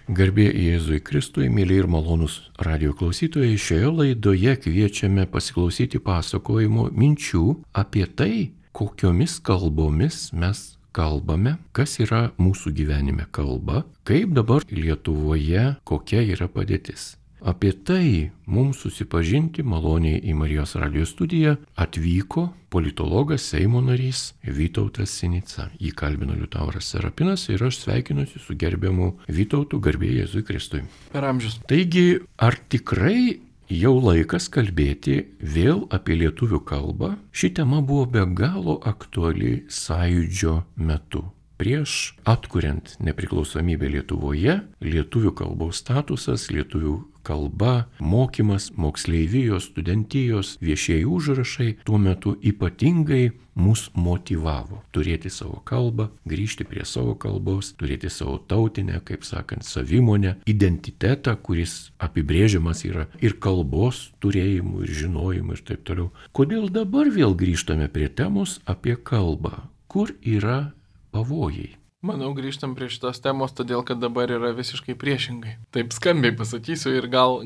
Garbė Jėzui Kristui, mėly ir malonūs radio klausytojai, šioje laidoje kviečiame pasiklausyti pasakojimo minčių apie tai, kokiomis kalbomis mes kalbame, kas yra mūsų gyvenime kalba, kaip dabar Lietuvoje, kokia yra padėtis. Apie tai mums susipažinti maloniai į Marijos radijo studiją atvyko politologas Seimo narys Vytautas Sinica. Jį kalbino Liutauras Serapinas ir aš sveikinuosi su gerbiamu Vytautu, garbė Jėzui Kristui. Per amžius. Taigi, ar tikrai jau laikas kalbėti vėl apie lietuvių kalbą? Ši tema buvo be galo aktuali Sąjūdžio metu. Prieš atkuriant nepriklausomybę Lietuvoje, lietuvių kalbos statusas, lietuvių kalba, mokymas, moksleivijos, studentijos, viešieji užrašai tuo metu ypatingai mus motyvavo turėti savo kalbą, grįžti prie savo kalbos, turėti savo tautinę, kaip sakant, savimonę, identitetą, kuris apibrėžiamas yra ir kalbos turėjimu, ir žinojimu ir taip toliau. Kodėl dabar vėl grįžtame prie temos apie kalbą? Kur yra pavojai? Manau, grįžtam prie šitos temos, todėl kad dabar yra visiškai priešingai. Taip skambiai pasakysiu ir gal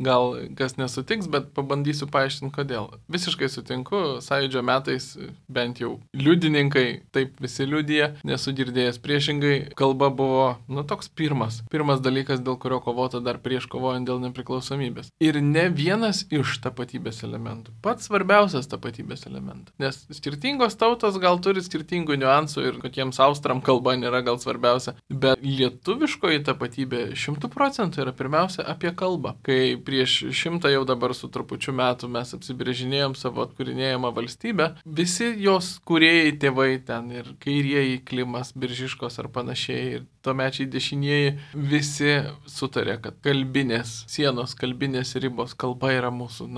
kas nesutiks, bet pabandysiu paaiškinti, kodėl. Visiškai sutinku, Sąjūdžio metais bent jau liudininkai, taip visi liudija, nesu girdėjęs priešingai, kalba buvo, toks pirmas dalykas, dėl kurio kovota dar prieš kovojant dėl nepriklausomybės. Ir ne vienas iš tapatybės elementų, pats svarbiausias tapatybės elementas, nes skirtingos tautos gal turi skirtingų niuansų ir kokiems austram kalba nėra gal svarbiausia, bet lietuviškoji tapatybė 100% yra pirmiausia apie kalbą. Kai prieš 100 jau dabar su trupučiu metų mes apsibrėžinėjom savo atkūrinėjimą valstybę, visi jos kūrėjai tėvai ten ir kairieji Klimas, Biržiškos ar panašiai ir tuomečiai dešinieji visi sutarė, kad kalbinės sienos, kalbinės ribos, kalba yra mūsų,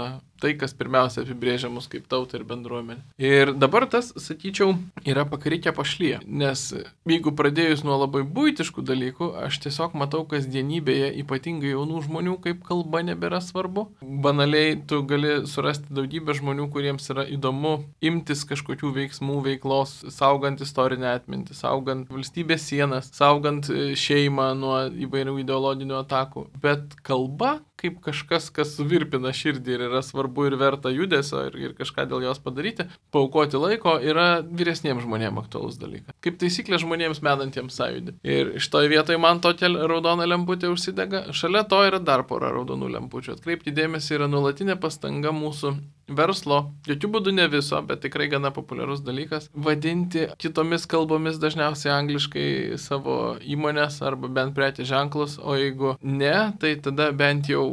tai, kas pirmiausia apibrėžia mus kaip tautą ir bendruomenę. Ir dabar tas, sakyčiau, yra pakrikę pašlyje, nes jeigu pradėjus nuo labai buitiškų dalykų, aš tiesiog matau kasdienybėje, ypatingai jaunų žmonių, kaip kalba nebėra svarbu. Banaliai tu gali surasti daugybę žmonių, kuriems yra įdomu imtis kažkokių veiksmų, veiklos, saugant istorinę atmintį, saugant valstybės sienas, saugant šeimą nuo įvairių ideologinių atakų. Bet kalba kaip kažkas, kas suvirpina širdį ir yra svarbu ir verta judesio ir kažką dėl jos padaryti, paaukoti laiko, yra vyresniems žmonėms aktualus dalykas. Kaip taisyklė žmonėms menantiems sąjūdį. Ir šitoje vietoje man tokia raudona lemputė užsidega. Šalia to yra dar pora raudonų lempučių. Atkreipti dėmesį yra nuolatinė pastanga mūsų verslo, jokių būdų ne viso, bet tikrai gana populiarus dalykas, vadinti kitomis kalbomis, dažniausiai angliškai, savo įmonės arba bent prekės ženklus, o jeigu ne, tai tada bent jau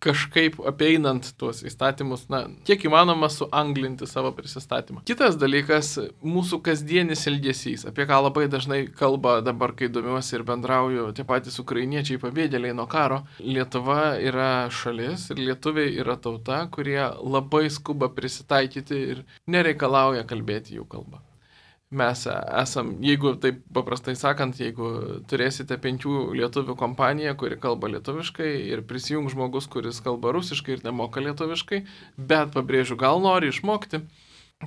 kažkaip apeinant tuos įstatymus, kiek įmanoma suanglinti savo prisistatymą. Kitas dalykas - mūsų kasdienis elgesys, apie ką labai dažnai kalba dabar, kai domiuosi ir bendrauju tie patys ukrainiečiai pabėgėliai nuo karo. Lietuva yra šalis ir lietuviai yra tauta, kurie labai skuba prisitaikyti ir nereikalauja kalbėti jų kalbą. Mes esam, jeigu taip paprastai sakant, jeigu turėsite 5 lietuvių kompaniją, kuri kalba lietuviškai ir prisijung žmogus, kuris kalba rusiškai ir nemoka lietuviškai, bet pabrėžiu, gal nori išmokti,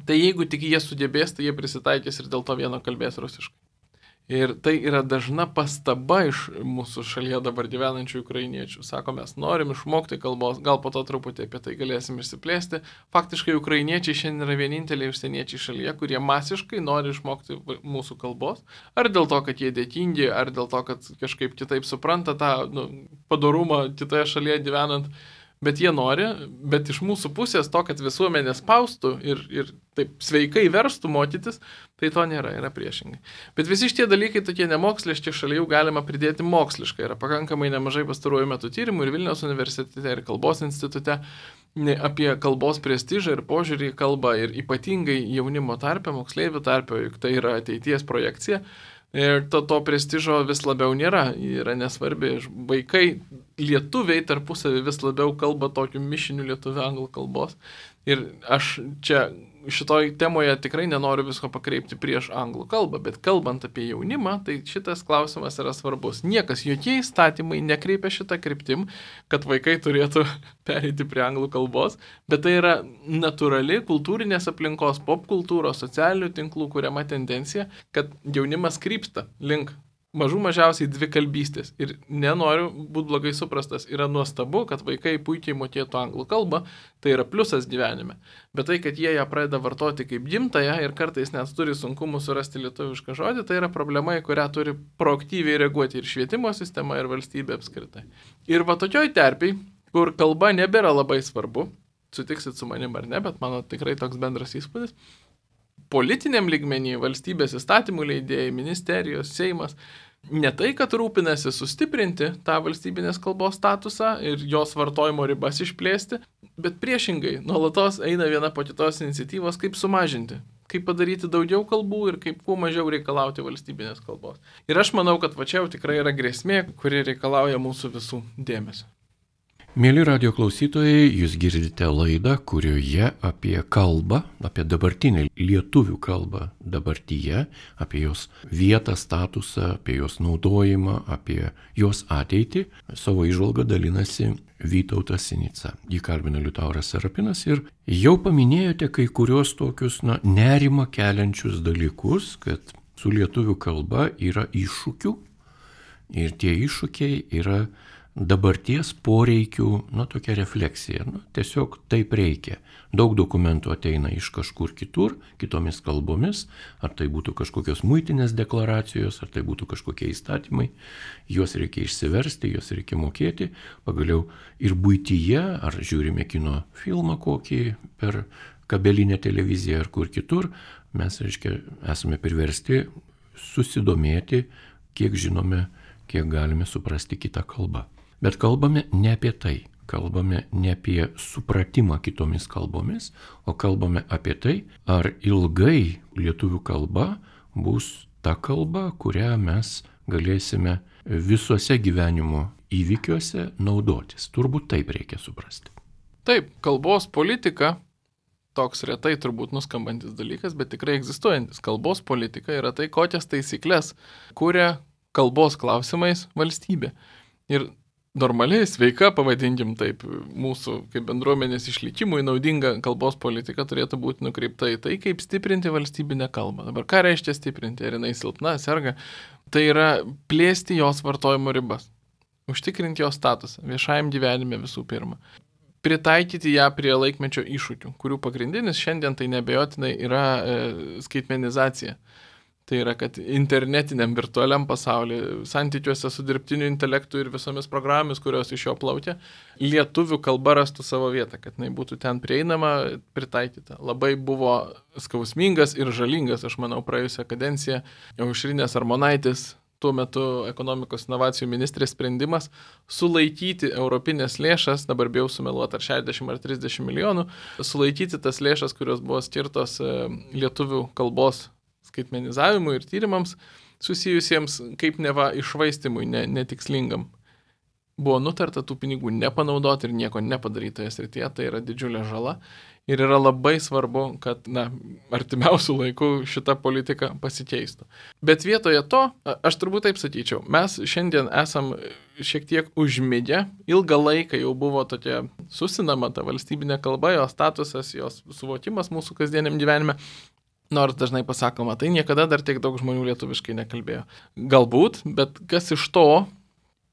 tai jeigu tik jie sugebės, tai jie prisitaikys ir dėl to vieno kalbės rusiškai. Ir tai yra dažna pastaba iš mūsų šalyje dabar gyvenančių ukrainiečių. Sako, mes norim išmokti kalbos, gal po to truputį apie tai galėsim išsiplėsti. Faktiškai ukrainiečiai šiandien yra vieninteliai užsieniečiai šalyje, kurie masiškai nori išmokti mūsų kalbos. Ar dėl to, kad jie dėkingi, ar dėl to, kad kažkaip kitaip supranta tą padorumą kitoje šalyje gyvenant. Bet jie nori, bet iš mūsų pusės to, kad visuomenė spaustų ir taip sveikai verstų mokytis, tai to nėra, yra priešingai. Bet visi šitie dalykai tokie nemoksliški, šalia jų galima pridėti moksliškai. Yra pakankamai nemažai pastaruoju metu tyrimų ir Vilniaus universitete, ir Kalbos institute apie kalbos prestižą ir požiūrį į kalbą ir ypatingai jaunimo tarpe, moksleivių tarpe, juk tai yra ateities projekcija. Ir to prestižo vis labiau nėra, yra nesvarbi. Vaikai, lietuviai tarpusavį vis labiau kalba tokiu mišiniu lietuvių anglų kalbos. Ir aš čia šitoj temoje tikrai nenoriu visko pakreipti prieš anglų kalbą, bet kalbant apie jaunimą, tai šitas klausimas yra svarbus. Niekas, jokie įstatymai nekreipia šitą kryptim, kad vaikai turėtų pereiti prie anglų kalbos, bet tai yra natūrali kultūrinės aplinkos, popkultūros, socialinių tinklų kuriama tendencija, kad jaunimas krypsta link mažiausiai dvikalbystės. Ir nenoriu būti blogai suprastas. Yra nuostabu, kad vaikai puikiai mokėtų anglų kalbą, tai yra pliusas gyvenime. Bet tai, kad jie ją pradeda vartoti kaip gimtąją ir kartais net turi sunkumų surasti lietuvišką žodį, tai yra problema, į kurią turi proaktyviai reaguoti ir švietimo sistema, ir valstybė apskritai. Ir va tokioj terpiai, kur kalba nebėra labai svarbu, sutiksit su manim ar ne, bet mano tikrai toks bendras įspūdis, politiniam lygmenį, valstybės įstatymų leidėjai, ministerijos, Seimas, ne tai, kad rūpinasi sustiprinti tą valstybinės kalbos statusą ir jos vartojimo ribas išplėsti, bet priešingai, nuolatos eina viena po kitos iniciatyvos, kaip sumažinti, kaip padaryti daugiau kalbų ir kaip kuo mažiau reikalauti valstybinės kalbos. Ir aš manau, kad va čia jau tikrai yra grėsmė, kuri reikalauja mūsų visų dėmesio. Mėly radio klausytojai, jūs girdite laidą, kurioje apie kalbą, apie dabartinę lietuvių kalbą dabartyje, apie jos vietą, statusą, apie jos naudojimą, apie jos ateitį, savo įžvalgą dalinasi Vytautas Sinica. Jį kalbina Liutauras Serapinas ir jau paminėjote kai kurios tokius nerimą keliančius dalykus, kad su lietuvių kalba yra iššūkių ir tie iššūkiai yra dabarties poreikių, tokia refleksija. Tiesiog taip reikia. Daug dokumentų ateina iš kažkur kitur, kitomis kalbomis, ar tai būtų kažkokios muitinės deklaracijos, ar tai būtų kažkokie įstatymai. Juos reikia išsiversti, juos reikia mokėti. Pagaliau ir buityje, ar žiūrime kino filmą kokį per kabelinę televiziją ar kur kitur, mes, esame priversti susidomėti, kiek žinome, kiek galime suprasti kitą kalbą. Bet kalbame ne apie tai, kalbame ne apie supratimą kitomis kalbomis, o kalbame apie tai, ar ilgai lietuvių kalba bus ta kalba, kurią mes galėsime visuose gyvenimo įvykiuose naudotis. Turbūt taip reikia suprasti. Taip, kalbos politika, toks retai turbūt nuskambantis dalykas, bet tikrai egzistuojantis. Kalbos politika yra tai, kokias taisyklės kuria kalbos klausimais valstybė. Ir normaliai, sveika, pavadinkim taip, mūsų kaip bendruomenės išlikimui naudinga kalbos politika turėtų būti nukreipta į tai, kaip stiprinti valstybinę kalbą. Dabar ką reiškia stiprinti? Ar jinai silpna, serga? Tai yra plėsti jos vartojimo ribas, užtikrinti jos statusą viešajam gyvenime visų pirma. Pritaikyti ją prie laikmečio iššūkių, kurių pagrindinis šiandien tai neabejotinai yra skaitmenizacija. Tai yra, kad internetiniam virtualiam pasaulyje, santykiuose su dirbtiniu intelektu ir visomis programomis, kurios iš jo plaukia, lietuvių kalba rastų savo vietą, kad jinai būtų ten prieinama, pritaikyta. Labai buvo skausmingas ir žalingas, aš manau, praėjusią kadenciją Aušrinės Armonaitės, tuo metu ekonomikos inovacijų ministrės sprendimas sulaikyti europinės lėšas, dabar bijau sumeluoti ar 60 ar 30 milijonų, sulaikyti tas lėšas, kurios buvo skirtos lietuvių kalbos skaitmenizavimui ir tyrimams susijusiems kaip neva iššvaistimui, netikslingam. Buvo nutarta tų pinigų nepanaudoti ir nieko nepadaryti toje srityje, tai yra didžiulė žala ir yra labai svarbu, kad artimiausių laikų šita politika pasikeistų. Bet vietoje to, aš turbūt taip sakyčiau, mes šiandien esam šiek tiek užmigę, ilgą laiką jau buvo tokia susinama ta valstybinė kalba, jos statusas, jos suvokimas mūsų kasdieniam gyvenime. Nors dažnai pasakoma, tai niekada dar tiek daug žmonių lietuviškai nekalbėjo. Galbūt, bet kas iš to,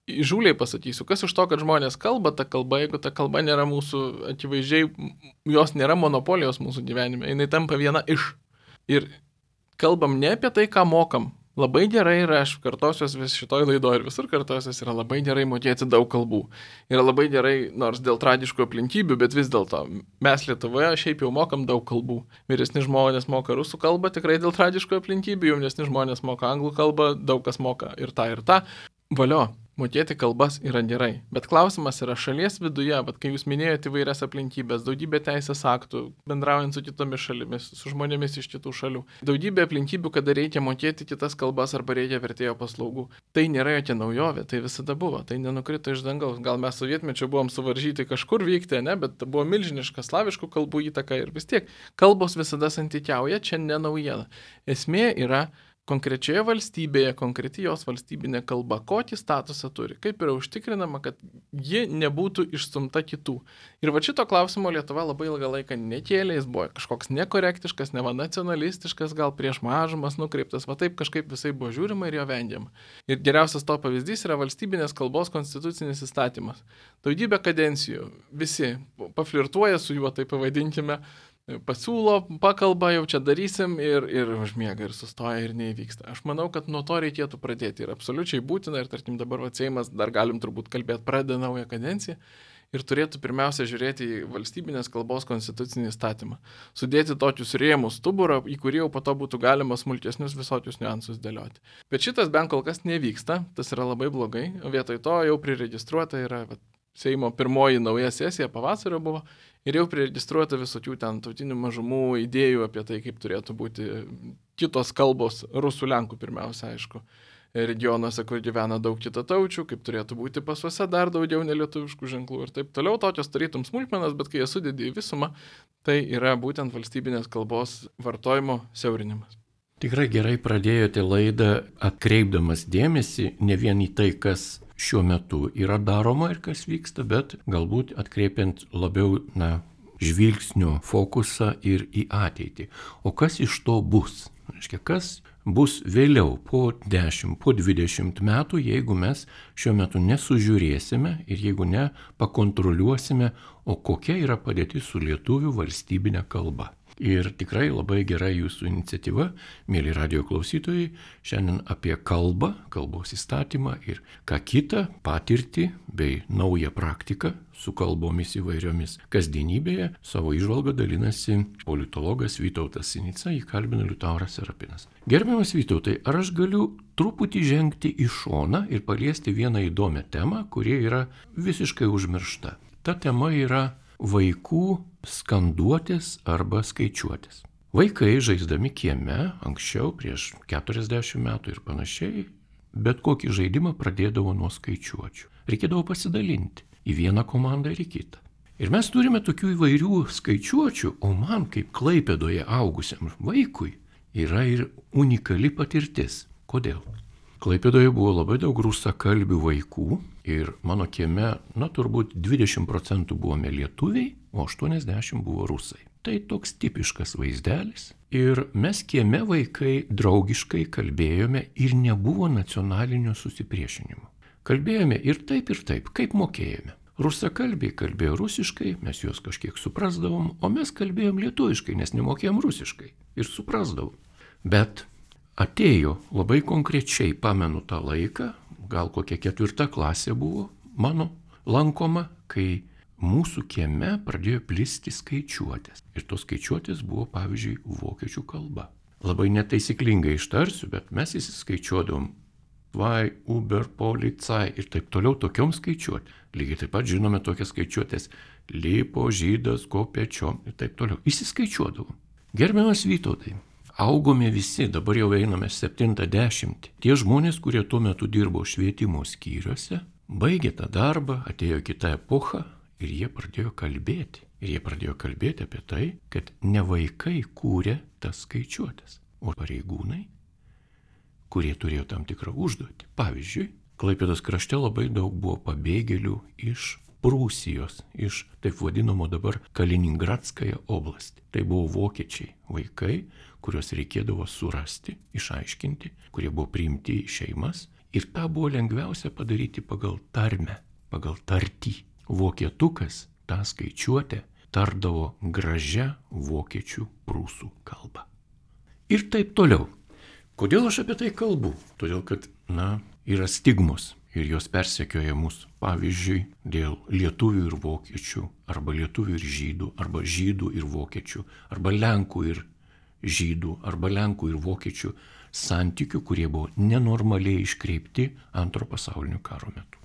įžūliai pasakysiu, kas iš to, kad žmonės kalba tą kalbą, jeigu ta kalba nėra mūsų, akivaizdžiai, jos nėra monopolijos mūsų gyvenime, jinai tampa viena iš. Ir kalbam ne apie tai, ką mokam. Labai gerai yra, aš kartosiuos vis šitoj laidoje ir visur kartosiuos, yra labai gerai mokėti daug kalbų. Yra labai gerai, nors dėl tragiškų aplinkybių, bet vis dėlto mes Lietuvoje šiaip jau mokam daug kalbų. Vyresni žmonės moka rusų kalbą tikrai dėl tragiškų aplinkybių, jaunesni žmonės moka anglų kalbą, daug kas moka ir tą. Valio. Mokėti kalbas yra gerai, bet klausimas yra šalies viduje, bet kai jūs minėjote įvairias aplinkybės, daugybė teisės aktų, bendraujant su kitomis šalimis, su žmonėmis iš kitų šalių, daugybė aplinkybių, kada reikia mokėti kitas kalbas arba reikia vertėjo paslaugų. Tai nėra jokia naujovė, tai visada buvo, tai nenukrito iš dangaus. Gal mes sovietmečiu buvom suvaržyti kažkur vykti, ne, bet buvo milžiniška slaviškų kalbų įtaka ir vis tiek kalbos visada santykiauja, čia ne naujiena. Esmė yra konkrečioje valstybėje, konkreti jos valstybinė kalba, kokį statusą turi, kaip yra užtikrinama, kad ji nebūtų išstumta kitų. Ir va šito klausimo Lietuva labai ilgą laiką nekėlė, jis buvo kažkoks nekorektiškas, neva nacionalistiškas, gal prieš mažumas nukreiptas, va taip kažkaip visai buvo žiūrima ir jo vengiama. Ir geriausias to pavyzdys yra valstybinės kalbos konstitucinis įstatymas. Daugybę kadencijų visi paflirtuoja su juo, tai pavadinkime, pasiūlo, pakalba, jau čia darysim ir užmiega ir sustoja ir neįvyksta. Aš manau, kad nuo to reikėtų pradėti ir absoliučiai būtina ir tarkim dabar Seimas, dar galim turbūt kalbėti, pradeda naują kadenciją ir turėtų pirmiausia žiūrėti į valstybinės kalbos konstitucinį įstatymą. Sudėti tokius rėmus stuburą, į kurį jau po to būtų galima smulkesnius visokius niuansus dėlioti. Bet šitas bent kol kas nevyksta, tas yra labai blogai, o vietoj to jau priregistruota yra Seimo pirmoji nauja sesija pavasario buvo ir jau priregistruota visokių ten tautinių mažumų idėjų apie tai, kaip turėtų būti kitos kalbos, rusų, lenkų pirmiausia, aišku, regionuose, kur gyvena daug kitataučių, kaip turėtų būti pasuose dar daugiau nelietuviškų ženklų ir taip toliau. Tokios tarytum smulkmenas, bet kai jas sudedi į visumą, tai yra būtent valstybinės kalbos vartojimo siaurinimas. Tikrai gerai pradėjote laidą atkreipdamas dėmesį ne vien į tai, kas šiuo metu yra daroma ir kas vyksta, bet galbūt atkreipiant labiau žvilgsnio fokusą ir į ateitį. O kas iš to bus? Reiškia, kas bus vėliau po 10, po 20 metų, jeigu mes šiuo metu nesužiūrėsime ir jeigu ne pakontroliuosime, o kokia yra padėtis su lietuvių valstybinė kalba. Ir tikrai labai gera jūsų iniciatyva, mėly radijo klausytojai, šiandien apie kalbą, kalbos įstatymą ir ką kitą patirtį bei naują praktiką su kalbomis įvairiomis kasdienybėje savo įžvalgą dalinasi politologas Vytautas Sinica, jį kalbina Liutauras Serapinas. Gerbiamas Vytautai, ar aš galiu truputį žengti į šoną ir paliesti vieną įdomią temą, kuri yra visiškai užmiršta. Ta tema yra vaikų skanduotės arba skaičiuotės. Vaikai žaisdami kieme, anksčiau prieš 40 metų ir panašiai, bet kokį žaidimą pradėdavo nuo skaičiuočių. Reikėdavo pasidalinti į vieną komandą ir į kitą. Ir mes turime tokių įvairių skaičiuočių, o man kaip Klaipėdoje augusiam vaikui yra ir unikali patirtis. Kodėl? Klaipėdoje buvo labai daug rusakalbių vaikų ir mano kieme, turbūt 20% buvome lietuviai, o 80% buvo rusai. Tai toks tipiškas vaizdelis. Ir mes kieme vaikai draugiškai kalbėjome ir nebuvo nacionalinio susipriešinimo. Kalbėjome ir taip, kaip mokėjome. Rusakalbiai kalbėjo rusiškai, mes juos kažkiek suprasdavom, o mes kalbėjom lietuviškai, nes nemokėjom rusiškai ir suprasdavom. Bet atėjo labai konkrečiai, pamenu tą laiką, gal kokia 4 klasė buvo mano lankoma, kai mūsų kieme pradėjo plisti skaičiuotės. Ir tos skaičiuotės buvo, pavyzdžiui, vokiečių kalba. Labai netaisyklingai ištarsiu, bet mes įsiskaičiuodom Vai, Uber, Polizei ir taip toliau tokiom skaičiuotėm. Lygiai taip pat žinome tokias skaičiuotės Lipo, Žydas, Kopečiom ir taip toliau. Įsiskaičiuodavom. Gerbiamas Vytautai, augome visi, dabar jau einame 70. Tie žmonės, kurie tuo metu dirbo švietimo skyriuose, baigė tą darbą, atėjo kita epocha ir jie pradėjo kalbėti. Ir jie pradėjo kalbėti apie tai, kad ne vaikai kūrė tas skaičiuotės, o pareigūnai, kurie turėjo tam tikrą užduotį. Pavyzdžiui, Klaipėdos krašte labai daug buvo pabėgėlių iš Prūsijos, iš taip vadinamo dabar Kaliningradskąją oblastį. Tai buvo vokiečiai vaikai, kuriuos reikėdavo surasti, išaiškinti, kurie buvo priimti į šeimas. Ir tą buvo lengviausia padaryti pagal tarmę, pagal tartį. Vokietukas tą skaičiuotę tardavo gražia vokiečių prūsų kalba. Ir taip toliau. Kodėl aš apie tai kalbu? Todėl, kad, yra stigmos ir jos persekioja mus. Pavyzdžiui, dėl lietuvių ir vokiečių, arba lietuvių ir žydų, arba žydų ir vokiečių, arba lenkų ir žydų, arba lenkų ir vokiečių santykių, kurie buvo nenormaliai iškreipti Antro pasaulinio karo metu.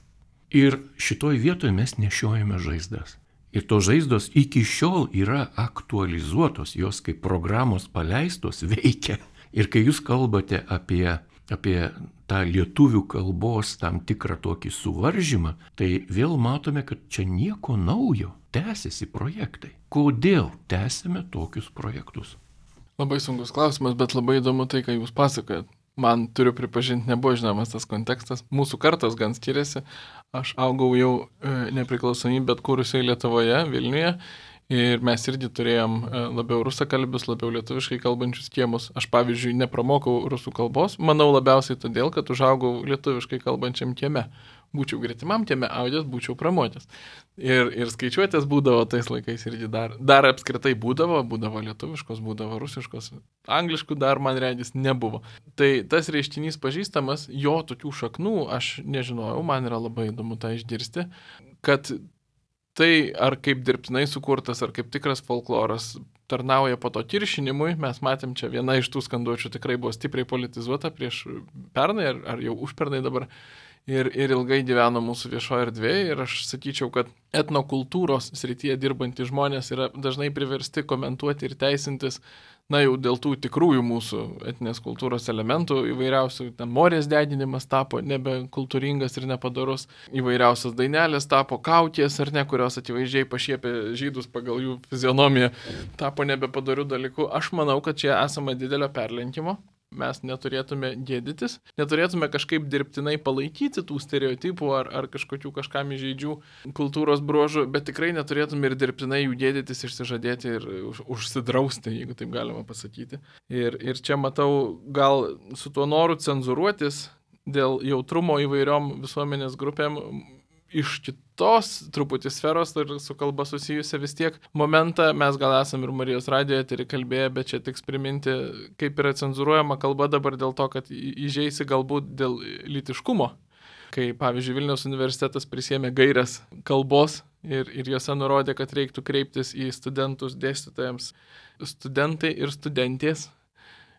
Ir šitoj vietoje mes nešiojame žaizdas. Ir tos žaizdos iki šiol yra aktualizuotos, jos kaip programos paleistos veikia. Ir kai jūs kalbate apie tą lietuvių kalbos tam tikrą tokį suvaržymą, tai vėl matome, kad čia nieko naujo, tęsiasi projektai. Kodėl tęsiame tokius projektus? Labai sunkus klausimas, bet labai įdomu tai, ką jūs pasakojat. Man, turiu pripažinti, nebuvo žinomas tas kontekstas. Mūsų kartos gan skiriasi. Aš augau jau nepriklausomybę atkūrusiai Lietuvoje, Vilniuje. Ir mes irgi turėjom labiau rusakalbius, labiau lietuviškai kalbančius kiemus. Aš, pavyzdžiui, nepramokau rusų kalbos. Manau labiausiai todėl, kad užaugau lietuviškai kalbančiam kieme. Būčiau gretimam kieme audęs, būčiau pramokęs. Ir skaičiuotės būdavo tais laikais irgi dar apskritai būdavo lietuviškos, būdavo rusiškos. Angliškų dar, man regis, nebuvo. Tai tas reiškinys pažįstamas, jo tokių šaknų aš nežinojau, man yra labai įdomu tą išgirsti, kad tai ar kaip dirbtinai sukurtas, ar kaip tikras folkloras tarnauja po to kiršinimui. Mes matėm čia viena iš tų skanduočių tikrai buvo stipriai politizuota prieš pernai ar jau užpernai dabar. Ir ilgai gyveno mūsų viešoje erdvėje ir aš sakyčiau, kad etnokultūros srityje dirbantys žmonės yra dažnai priversti komentuoti ir teisintis, jau dėl tų tikrųjų mūsų etinės kultūros elementų įvairiausių, ten morės deginimas tapo nebekultūringas ir nepadorus, įvairiausios dainelės tapo kaukės ar ne, kurios akivaizdžiai pašiepė žydus pagal jų fizionomiją, tapo nebepadorių dalykų. Aš manau, kad čia esama didelio perlenkimo. Mes neturėtume gėdytis, neturėtume kažkaip dirbtinai palaikyti tų stereotipų ar kažkam įžeidžių kultūros bruožų, bet tikrai neturėtume ir dirbtinai jų gėdytis, išsižadėti ir užsidrausti, jeigu taip galima pasakyti. Ir čia matau gal su tuo noru cenzuruotis dėl jautrumo įvairiom visuomenės grupėm iš kitos truputį sferos ir su kalba susijusia vis tiek momentą. Mes gal esam ir Marijos radijo eterį kalbėję, bet čia tiks priminti, kaip yra cenzuruojama kalba dabar dėl to, kad įžeisi galbūt dėl lytiškumo. Kai, pavyzdžiui, Vilniaus universitetas prisėmė gairias kalbos ir juose nurodė, kad reiktų kreiptis į studentus, dėstytojams, studentai ir studentės.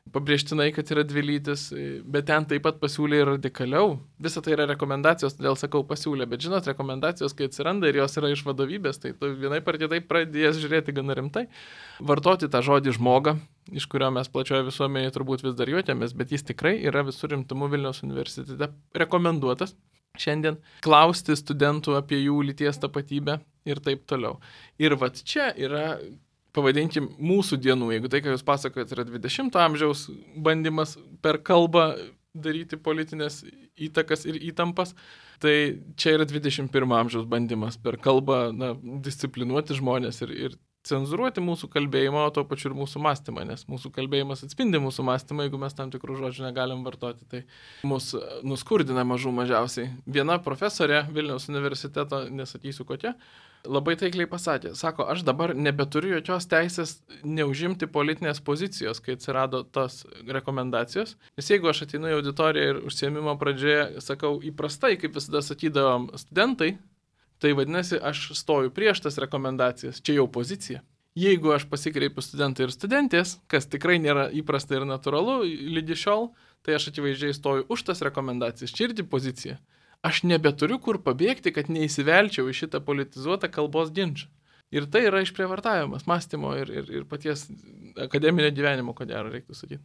Pabrėžtinai, kad yra dvilytis, bet ten taip pat pasiūlė ir radikaliau. Visa tai yra rekomendacijos, todėl sakau pasiūlė, bet žinot, rekomendacijos, kai atsiranda ir jos yra iš vadovybės, tai tu vienaip ar kitaip pradėjęs žiūrėti gana rimtai. Vartoti tą žodį žmogą, iš kurio mes plačioje visuomenėje turbūt vis dar juotėmės, bet jis tikrai yra visur rimtumu Vilniaus universitete rekomenduotas šiandien. Klausti studentų apie jų lyties tapatybę ir taip toliau. Ir vat čia yra, pavadinkim, mūsų dienų, jeigu tai, ką jūs pasakojate, yra 20 amžiaus bandymas per kalbą daryti politinės įtakas ir įtampas, tai čia yra 21 amžiaus bandymas per kalbą disciplinuoti žmonės ir cenzuruoti mūsų kalbėjimą, o to pačiu ir mūsų mąstymą, nes mūsų kalbėjimas atspindi mūsų mąstymą, jeigu mes tam tikrų žodžių negalim vartoti, tai mus nuskurdina mažiausiai. Viena profesorė Vilniaus universiteto, nesakysiu kokia, labai taikliai pasakė, sako, aš dabar nebeturiu jokios teisės neužimti politinės pozicijos, kai atsirado tos rekomendacijos, nes jeigu aš ateinu į auditoriją ir užsiėmimo pradžioje sakau įprastai, kaip visada sakydavom studentai, tai vadinasi, aš stoju prieš tas rekomendacijas, čia jau pozicija. Jeigu aš pasikreipiu studentai ir studentės, kas tikrai nėra įprasta ir natūralu lygi šiol, tai aš akivaizdžiai stoju už tas rekomendacijas, čia irgi pozicija. Aš nebeturiu kur pabėgti, kad neįsivelčiau į šitą politizuotą kalbos ginčą. Ir tai yra išprievartavimas mąstymo ir paties akademinio gyvenimo, ko gero reiktų sakyti.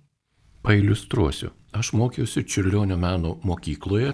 Pailiustruosiu. Aš mokiausi Čiurlionio meno mokykloje,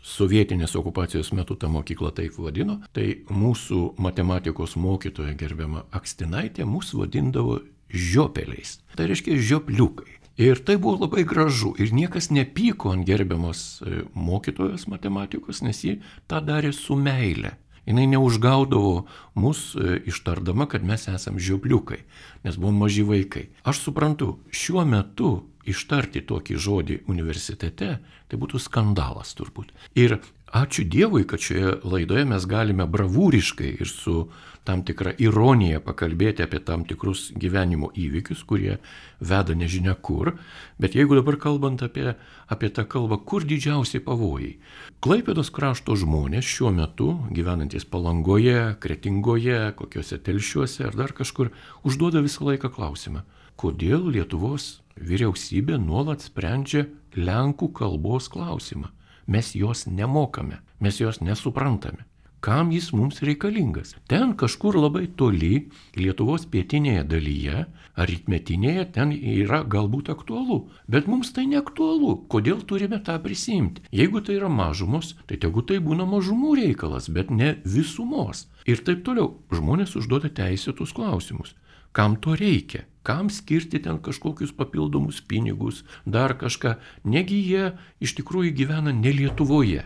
sovietinės okupacijos metu tą mokyklą taip vadino, tai mūsų matematikos mokytoja gerbiama Akstinaitė mūsų vadindavo žiopeliais. Tai reiškia žiopliukai. Ir tai buvo labai gražu ir niekas nepyko ant gerbiamos mokytojos matematikos, nes ji tą darė su meile. Jinai neužgaudavo mus ištardama, kad mes esam žiopliukai, nes buvom maži vaikai. Aš suprantu, šiuo metu ištarti tokį žodį universitete, tai būtų skandalas turbūt. Ir ačiū Dievui, kad šioje laidoje mes galime bravūriškai ir su tam tikra ironija pakalbėti apie tam tikrus gyvenimo įvykius, kurie veda nežinia kur. Bet jeigu dabar kalbant apie tą kalbą, kur didžiausiai pavojai? Klaipėdos krašto žmonės šiuo metu, gyvenantis Palangoje, Kretingoje, kokiuose Telšiuose ar dar kažkur, užduoda visą laiką klausimą, kodėl Lietuvos vyriausybė nuolat sprendžia lenkų kalbos klausimą. Mes jos nemokame, mes jos nesuprantame. Kam jis mums reikalingas? Ten kažkur labai toli, Lietuvos pietinėje dalyje, aritmetinėje, ten yra galbūt aktualu, bet mums tai neaktualu. Kodėl turime tą prisimti? Jeigu tai yra mažumos, tai tegu tai būna mažumų reikalas, bet ne visumos. Ir taip toliau. Žmonės užduoda teisėtus klausimus. Kam to reikia? Kam skirti ten kažkokius papildomus pinigus, dar kažką. Negi jie iš tikrųjų gyvena ne Lietuvoje.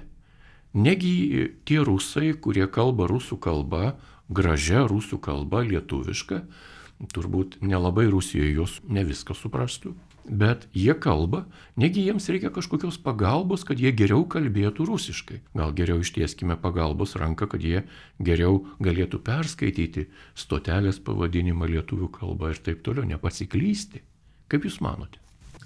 Negi tie rusai, kurie kalba rusų kalba, gražia rusų kalba, lietuviška, turbūt nelabai Rusijoje jos ne viską suprastų, bet jie kalba, negi jiems reikia kažkokios pagalbos, kad jie geriau kalbėtų rusiškai. Gal geriau ištieskime pagalbos ranką, kad jie geriau galėtų perskaityti stotelės pavadinimą lietuvių kalbą ir taip toliau, nepasiklysti. Kaip Jūs manote?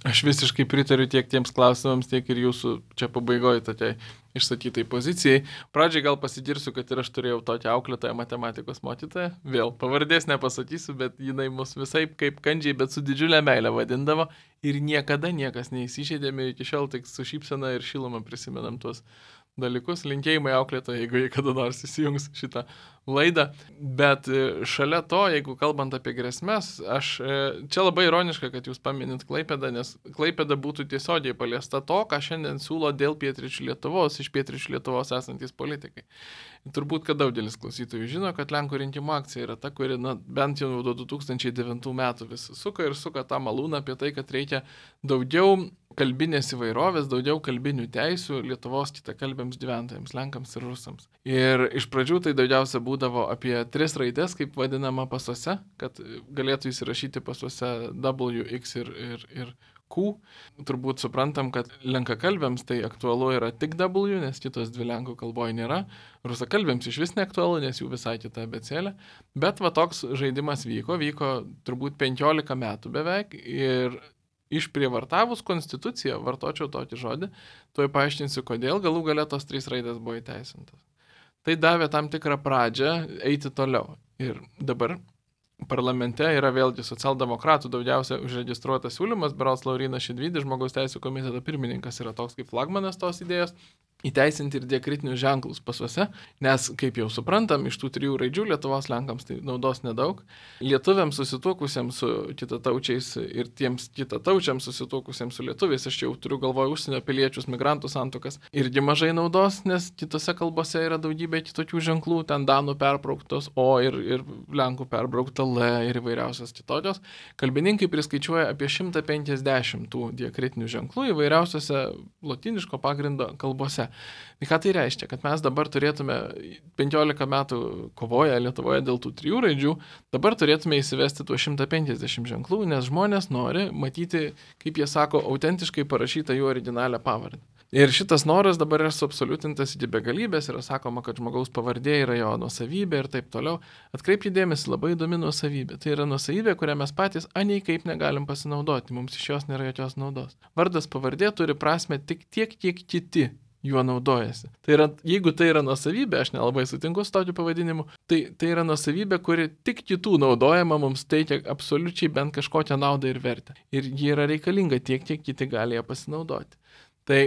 Aš visiškai pritariu tiek tiems klausimams, tiek ir jūsų čia pabaigoje tokiai išsakytai pozicijai. Pradžiai gal pasigirsiu, kad ir aš turėjau tokią auklėtoją matematikos mokytoją. Vėl pavardės nepasakysiu, bet jinai mus visai kaip kandžiai, bet su didžiulė meilė vadindavo. Ir niekada niekas neįsižeidėme, iki šiol tik su šypsena ir šiluma prisimenam tuos dalykus. Linkėjimai auklėtojai, jeigu jie kada nors įsijungs šitą laidą. Bet šalia to, jeigu kalbant apie grėsmes, čia labai ironiška, kad jūs paminit Klaipėdą, nes Klaipėda būtų tiesiogiai paliesta to, ką šiandien siūlo dėl pietryčių Lietuvos, iš pietryčių Lietuvos esantys politikai. Turbūt, kad daugelis klausytojų žino, kad Lenkų rinkimų akcija yra ta, kuri bent jau nuo 2009 metų vis suka tą malūną apie tai, kad reikia daugiau kalbinės įvairovės, daugiau kalbinių teisių Lietuvos kitakalbiams gyventojams, Lenkams ir Rusams. Ir iš pradžių tai daugiausia būdavo apie 3 raidės, kaip vadinama pasuose, kad galėtų įsirašyti pasuose W, X ir Q. Turbūt suprantam, kad lenkakalbiams tai aktualu yra tik W, nes kitos 2 lenkų kalboje nėra. Rusakalbiams iš vis neaktualu, nes jų visai kita abėcėlė. Bet va toks žaidimas vyko turbūt 15 metų beveik ir išprievartavus konstituciją, vartočiau tokį žodį, tuoj paaiškinsiu, kodėl galų gale tos 3 raidės buvo įteisintos. Tai davė tam tikrą pradžią eiti toliau. Ir dabar parlamente yra vėlgi socialdemokratų daugiausia užregistruotas siūlymas, berods Laurynas Šidvydis, žmogaus teisų komiteto pirmininkas, yra toks kaip flagmanas tos idėjos, įteisinti ir diakritinius ženklus pasuose, nes, kaip jau suprantam, iš tų 3 raidžių Lietuvos Lenkams tai naudos nedaug. Lietuviams susituokusiems su kitataučiais ir tiems kitataučiams susituokusiems su lietuviais, aš jau turiu galvoje užsienio piliečius, migrantų santuokas, irgi mažai naudos, nes kitose kalbose yra daugybė kitokių ženklų, ten danų perbrauktos O ir lenkų perbraukta L ir įvairiausios kitokios. Kalbininkai priskaičiuoja apie 150 tų diakritinių ženklų įvairiausiose lotyniško pagrindo kalbose. Tai ką tai reiškia? Kad mes dabar turėtume 15 metų kovoję Lietuvoje dėl tų 3 raidžių, dabar turėtume įsivesti tuos 150 ženklų, nes žmonės nori matyti, kaip jie sako, autentiškai parašytą jų originalią pavardę. Ir šitas noras dabar yra suabsoliutintas iki begalybės, yra sakoma, kad žmogaus pavardė yra jo nuosavybė ir taip toliau. Atkreipkite dėmesį, labai įdomi nuosavybė. Tai yra nuosavybė, kurią mes patys aniai kaip negalim pasinaudoti, mums iš jos nėra jokios naudos. Vardas pavardė turi prasme tik tiek, kiek kiti juo naudojasi. Tai yra, jeigu tai yra nuosavybė, aš nelabai sutinku su tokiu pavadinimu, tai yra nuosavybė, kuri tik kitų naudojama, mums teikia absoliučiai bent kažkokią naudą ir vertę. Ir ji yra reikalinga tiek, kiek kiti gali ją pasinaudoti. Tai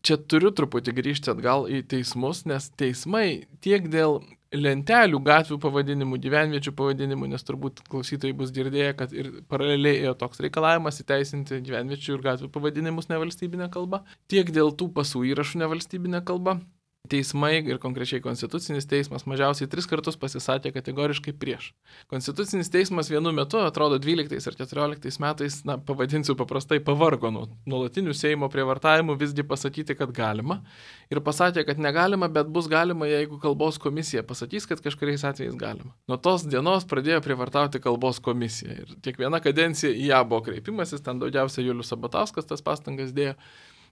čia turiu truputį grįžti atgal į teismus, nes teismai tiek dėl lentelių, gatvių pavadinimų, gyvenviečių pavadinimų, nes turbūt klausytojai bus girdėję, kad ir paraleliai ėjo toks reikalavimas įteisinti gyvenviečių ir gatvių pavadinimus nevalstybinę kalbą, tiek dėl tų pasų įrašų nevalstybinę kalbą. Teismai ir konkrečiai Konstitucinis teismas mažiausiai 3 kartus pasisakė kategoriškai prieš. Konstitucinis teismas vienu metu, atrodo 12 ir 14 metais, pavadinsiu paprastai, pavargo nuo nuolatinių Seimo prievartavimų visgi pasakyti, kad galima. Ir pasakė, kad negalima, bet bus galima, jeigu kalbos komisija pasakys, kad kažkuriais atvejais galima. Nuo tos dienos pradėjo prievartauti kalbos komisija. Ir kiekviena kadencija į ją buvo kreipimasis, ten daugiausia Julius Sabatauskas tas pastangas dėjo.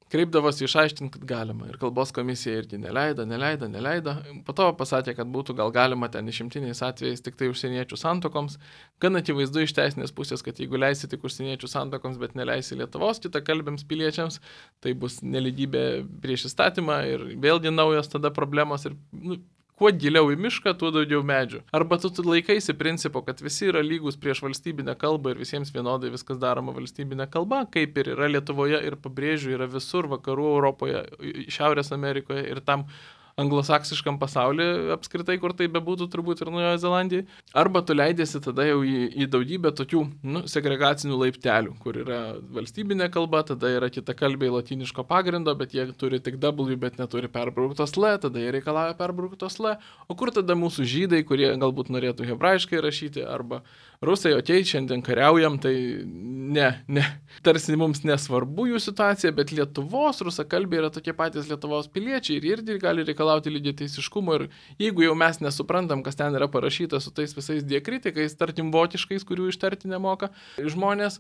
Kreipdavosi išaiškinti, kad galima. Ir kalbos komisija irgi neleido. Po to pasakė, kad būtų gal galima ten išimtiniais atvejais tik tai užsieniečių santuokoms. Gan akivaizdu iš teisinės pusės, kad jeigu leisi tik užsieniečių santuokoms, bet neleisi Lietuvos kitakalbiams piliečiams, tai bus nelygybė prieš įstatymą ir vėlgi naujos tada problemos ir kuo giliau į mišką, tuo daugiau medžių. Arba tu laikaisi principo, kad visi yra lygus prieš valstybinę kalbą ir visiems vienodai viskas daroma valstybinė kalba, kaip ir yra Lietuvoje ir pabrėžiu, yra visur vakarų Europoje, Šiaurės Amerikoje ir tam anglosaksiškam pasaulyje apskritai, kur tai bebūtų turbūt ir Naujojoje Zelandijoje, arba tu leidėsi tada jau į daugybę tokių segregacinių laiptelių, kur yra valstybinė kalba, tada yra kitakalbiai lotyniško pagrindo, bet jie turi tik W, bet neturi perbrauktos L, tada jie reikalauja perbrauktos L, o kur tada mūsų žydai, kurie galbūt norėtų hebrajiškai rašyti, arba rusai, okei, šiandien kariaujam, tai ne, tarsi mums nesvarbu jų situacija, bet Lietuvos rusakalbiai yra tokie patys Lietuvos piliečiai ir irgi gali reikalauti lygiateisiškumo ir jeigu jau mes nesuprantam, kas ten yra parašyta su tais visais diakritikais, tarkim vokiškais, kurių ištarti nemoka žmonės,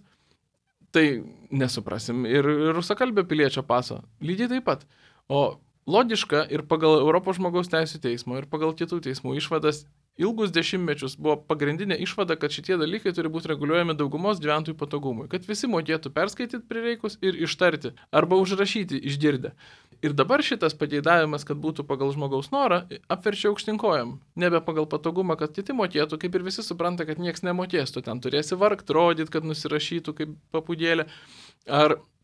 tai nesuprasim ir rusakalbio piliečio paso lygiai taip pat. O logiška ir pagal Europos žmogaus teisų teismo ir pagal kitų teismų išvadas ilgus dešimtmečius buvo pagrindinė išvada, kad šitie dalykai turi būti reguliuojami daugumos gyventojų patogumui, kad visi mokėtų perskaityti prireikus ir ištarti arba užrašyti išgirdę. Ir dabar šitas pageidavimas, kad būtų pagal žmogaus norą, apverčia aukštinkojam. Nebe pagal patogumą, kad kiti mokėtų, kaip ir visi supranta, kad nieks nemokės, tu ten turėsi vargt, rodyt, kad nusirašytų kaip papudėlė.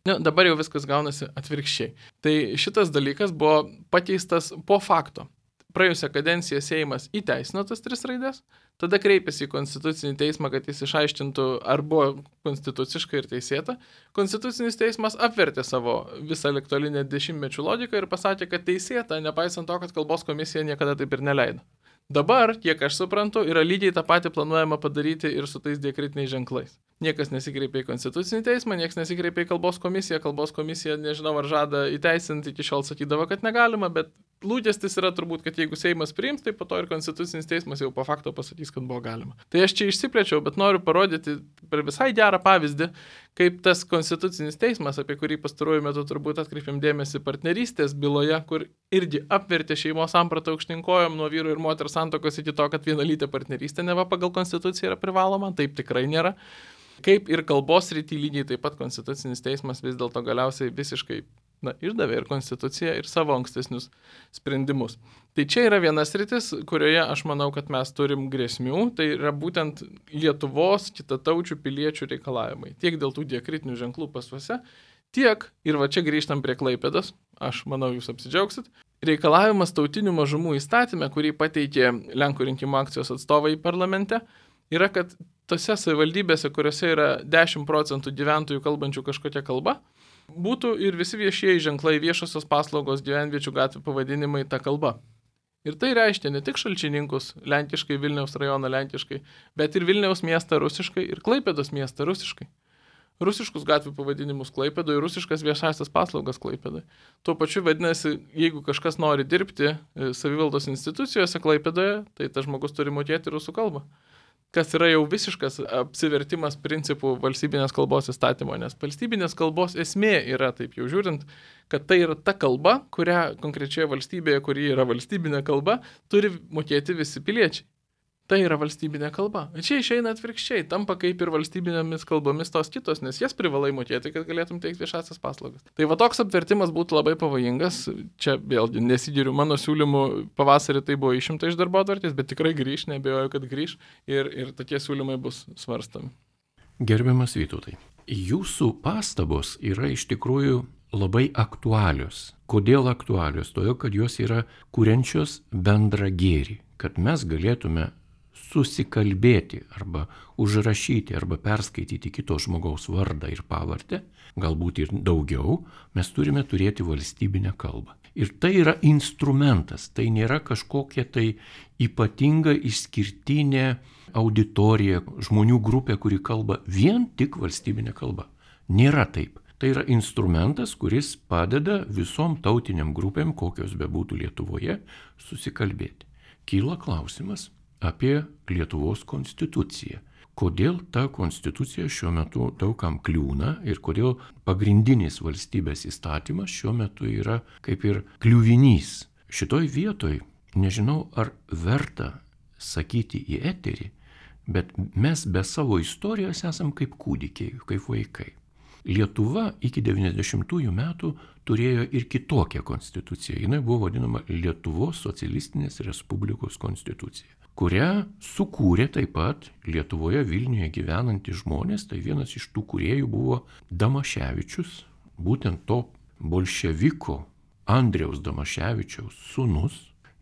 Dabar jau viskas gaunasi atvirkščiai. Tai šitas dalykas buvo pakeistas po fakto. Praėjusią kadenciją Seimas įteisino tas 3 raidės, tada kreipėsi į Konstitucinį teismą, kad jis išaiškintų, ar buvo konstituciškai ir teisėta. Konstitucinis teismas apvertė savo visą ligtolinę dešimtmečių logiką ir pasakė, kad teisėta, nepaisant to, kad kalbos komisija niekada taip ir neleido. Dabar, kiek aš suprantu, yra lygiai tą patį planuojama padaryti ir su tais diakritiniais ženklais. Niekas nesikreipė į Konstitucinį teismą, niekas nesikreipė į kalbos komisiją, nežinau ar žada įteisinti, iki šiol sakydavo, kad negalima, bet lūkestis yra turbūt, kad jeigu Seimas priims, tai po to ir Konstitucinis teismas jau po fakto pasakys, kad buvo galima. Tai aš čia išsiplėčiau, bet noriu parodyti per visai gerą pavyzdį, kaip tas Konstitucinis teismas, apie kurį pastaruoju metu turbūt atkreipėm dėmesį partnerystės byloje, kur irgi apvertė šeimos sampratą aukštinkojom nuo vyro ir moters santuokos iki to, kad vienalytė partnerystė neva pagal Konstituciją yra privaloma, taip tikrai nėra. Kaip ir kalbos srity lygiai taip pat Konstitucinis teismas vis dėlto galiausiai visiškai išdavė ir Konstituciją, ir savo ankstesnius sprendimus. Tai čia yra vienas sritis, kurioje aš manau, kad mes turim grėsmių, tai yra būtent Lietuvos kitataučių piliečių reikalavimai. Tiek dėl tų diakritinių ženklų pasuose, tiek, ir va čia grįžtam prie Klaipėdos, aš manau, jūs apsidžiaugsit, reikalavimas tautinių mažumų įstatyme, kurį pateikė Lenkų rinkimų akcijos atstovai parlamente, yra, kad tose savivaldybėse, kuriuose yra 10% gyventojų kalbančių kažkokią kalbą, būtų ir visi viešieji ženklai, viešosios paslaugos, gyvenviečių gatvių pavadinimai ta kalba. Ir tai reiškia ne tik Šalčininkus lenkiškai, Vilniaus rajoną lenkiškai, bet ir Vilniaus miestą rusiškai ir Klaipėdos miestą rusiškai. Rusiškus gatvių pavadinimus Klaipėdoje, rusiškas viešasias paslaugas Klaipėdoje. Tuo pačiu vadinasi, jeigu kažkas nori dirbti savivaldos institucijose Klaipėdoje, tai tas žmogus turi mokėti rusų kalbą. Kas yra jau visiškas apsivertimas principų valstybinės kalbos įstatymo, nes valstybinės kalbos esmė yra, taip jau žiūrint, kad tai yra ta kalba, kurią konkrečioje valstybėje, kuri yra valstybinė kalba, turi mokėti visi piliečiai. Tai yra valstybinė kalba. Čia išeina atvirkščiai, tampa kaip ir valstybinėmis kalbomis tos kitos, nes jas privalai mokėti, kad galėtum teikti viešasias paslaugas. Tai va toks apvertimas būtų labai pavojingas. Čia vėlgi nesigiriu mano siūlymų, pavasarį tai buvo išimta iš darbotvarkės, bet tikrai grįš, neabejoju, kad grįš ir tokie siūlymai bus svarstami. Gerbiamas Vytautai, jūsų pastabos yra iš tikrųjų labai aktualios. Kodėl aktualios? Todėl, kad jos yra kuriančios bendrą gėrį, kad mes galėtume susikalbėti arba užrašyti arba perskaityti kito žmogaus vardą ir pavardę, galbūt ir daugiau, mes turime turėti valstybinę kalbą. Ir tai yra instrumentas, tai nėra kažkokia tai ypatinga išskirtinė auditorija, žmonių grupė, kuri kalba vien tik valstybinė kalba. Nėra taip. Tai yra instrumentas, kuris padeda visom tautiniam grupėm, kokios bebūtų Lietuvoje, susikalbėti. Kyla klausimas apie Lietuvos konstituciją. Kodėl ta konstitucija šiuo metu daugam kliūna ir kodėl pagrindinis valstybės įstatymas šiuo metu yra kaip ir kliuvinys. Šitoj vietoj nežinau, ar verta sakyti į eterį, bet mes be savo istorijos esam kaip kūdikiai, kaip vaikai. Lietuva iki 90-ųjų metų turėjo ir kitokią konstituciją. Jinai buvo vadinama Lietuvos socialistinės respublikos konstitucija, kurią sukūrė taip pat Lietuvoje Vilniuje gyvenantys žmonės. Tai vienas iš tų kūrėjų buvo Damaševičius, būtent to bolševiko Andriaus Damaševičiaus sūnus,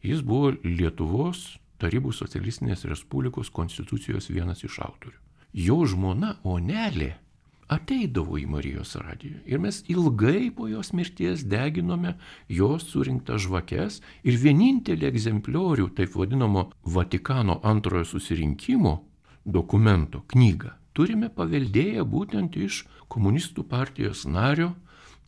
jis buvo Lietuvos Tarybų socialistinės Respublikos konstitucijos vienas iš autorių. Jo žmona Onelė ateidavo į Marijos radiją ir mes ilgai po jos mirties deginome jos surinktas žvakes ir vienintelį egzempliorių, taip vadinamo Vatikano antrojo susirinkimo dokumento knygą turime paveldėję būtent iš komunistų partijos nario,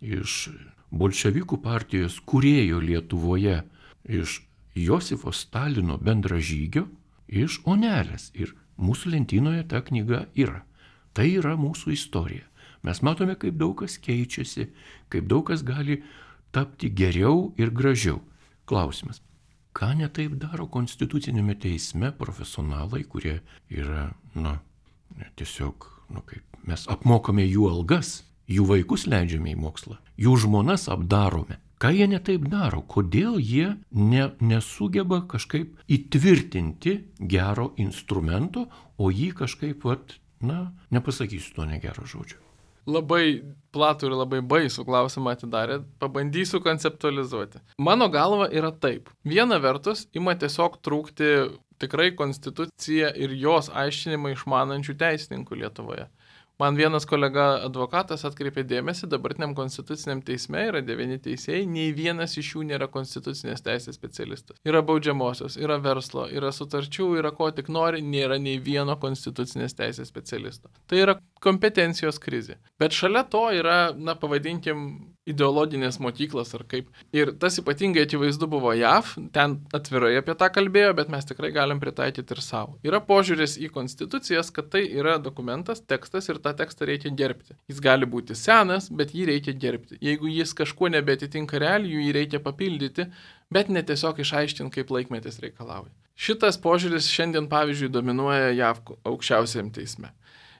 iš bolševikų partijos kūrėjo Lietuvoje, iš Josifo Stalino bendražygio, iš Onelės. Ir mūsų lentynoje ta knyga yra. Tai yra mūsų istorija. Mes matome, kaip daug kas keičiasi, kaip daug kas gali tapti geriau ir gražiau. Klausimas. Ką netaip daro konstitucinėme teisme profesionalai, kurie yra, tiesiog, kaip mes apmokame jų algas, jų vaikus leidžiame į mokslą, jų žmonas apdarome. Ką jie netaip daro? Kodėl jie nesugeba kažkaip įtvirtinti gero instrumento, o jį kažkaip, nepasakysiu to negero žodžio. Labai platų ir labai baisų klausimą atidarė, pabandysiu konceptualizuoti. Mano galva yra taip. Viena vertus, ima tiesiog trūkti tikrai konstituciją ir jos aiškinimą išmanančių teisininkų Lietuvoje. Man vienas kolega advokatas atkreipė dėmesį, dabartiniam konstituciniam teisme yra 9 teisėjai, nei vienas iš jų nėra konstitucinės teisės specialistas. Yra baudžiamosios, yra verslo, yra sutarčių, yra ko tik nori, nėra nei vieno konstitucinės teisės specialisto. Tai yra kompetencijos krizė. Bet šalia to yra, pavadinkim, ideologinės mokyklos ar kaip. Ir tas ypatingai akivaizdu buvo JAV, ten atvirai apie tą kalbėjo, bet mes tikrai galim pritaikyti ir savo. Yra požiūris į konstitucijas, kad tai yra dokumentas, tekstas ir tą tekstą reikia gerbti. Jis gali būti senas, bet jį reikia gerbti. Jeigu jis kažkuo nebetitinka realijų, jį reikia papildyti, bet ne tiesiog išaiškinti, kaip laikmetis reikalauja. Šitas požiūris šiandien, pavyzdžiui, dominuoja JAV aukščiausiam teisme.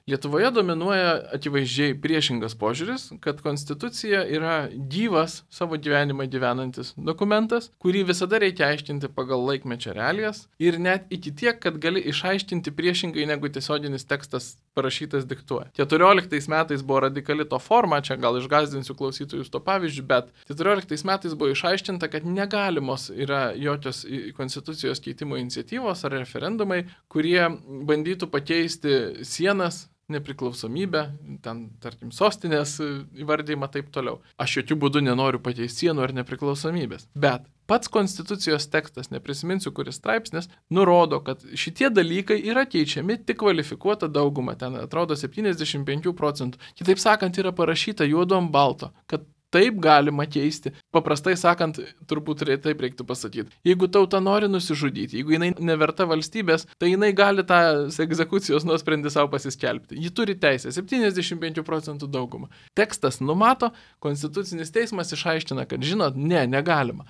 Lietuvoje dominuoja akivaizdžiai priešingas požiūris, kad konstitucija yra gyvas savo gyvenimą gyvenantis dokumentas, kurį visada reikia aiškinti pagal laikmečio realijas ir net iki tiek, kad gali išaiškinti priešingai negu tiesioginis tekstas parašytas diktuoja. 14 metais buvo radikali to forma, čia gal išgąsdinsiu klausytojus to pavyzdžių, bet 14 metais buvo išaiškinta, kad negalimos yra jokios konstitucijos keitimo iniciatyvos ar referendumai, kurie bandytų pakeisti sienas, nepriklausomybę, ten, tarkim, sostinės įvardymą taip toliau. Aš jokių būdų nenoriu pakeisti sienų ar nepriklausomybės. Bet pats konstitucijos tekstas, neprisiminsiu, kuris straipsnis, nurodo, kad šitie dalykai yra keičiami tik kvalifikuota dauguma. Ten atrodo 75%. Kitaip sakant, yra parašyta juodu ant balto, kad taip galima keisti. Paprastai sakant, turbūt taip reiktų pasakyti. Jeigu tauta nori nusižudyti, jeigu jinai neverta valstybės, tai jinai gali tą egzekucijos nuosprendį savo pasiskelbti. Ji turi teisę, 75% daugumą. Tekstas numato, konstitucinis teismas išaiškina, kad žinot, negalima.